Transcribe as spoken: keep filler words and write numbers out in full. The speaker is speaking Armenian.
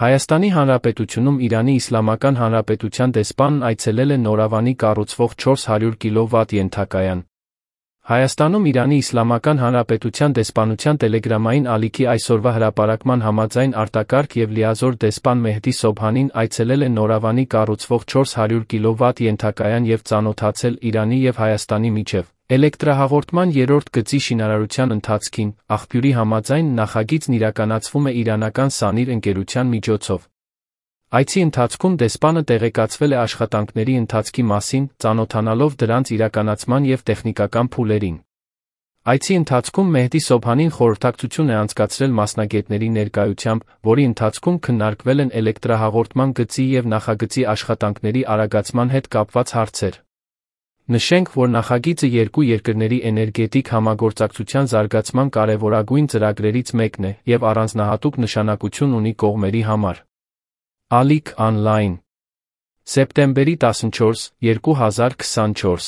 Հայաստանի Հանրապետությունում Իրանի Իսլամական Հանրապետության դեսպանն այցելել է Նորավանի կառուցվող չորս հարյուր կիլովատ ենթակայան։ Հայաստանում Իրանի Իսլամական Հանրապետության դեսպանության տելեգրամային ալիքի այսօրվա հրապարակման համաձայն արտակարգ և լիազոր դեսպան Մեհդի Սոբհանին այցելել է Նորավանի կառուցվող չորս հարյուր կիլովատ ենթակայան և ծանոթացել Իրանի և Հայաստանի միջև էլեկտրահաղորդման երրորդ գծի շինարարության ընթացքին։ Աղբյուրի համաձայն նախագիծն իրականացվում է իրանական Սանիր ընկերության միջոցով։ Այցի ընթացքում դեսպանը տեղեկացվել է աշխատանքների ընթացքի մասին, ծանոթանալով դրանց իրականացման և տեխնիկական փուլերին։ Այցի ընթացքում Մեհդի Սոբհանին խորհրդակցություն է անցկացրել մասնագետների ներկայությամբ, որի ընթացքում քննարկվել են էլեկտրահաղորդման գծի և նախագծի աշխատանքների արագացման հետ կապված հարցեր։ Նշենք, որ նախագիծը երկու երկրների էներգետիկ համագործակցության զարգացման կարևորագույն ծրագրերից մեկն է և առանձնահատուկ նշանակություն ունի կողմերի համար։ Ալիք Օնլայն, սեպտեմբերի տասնչորս, երկու հազար քսանչորս։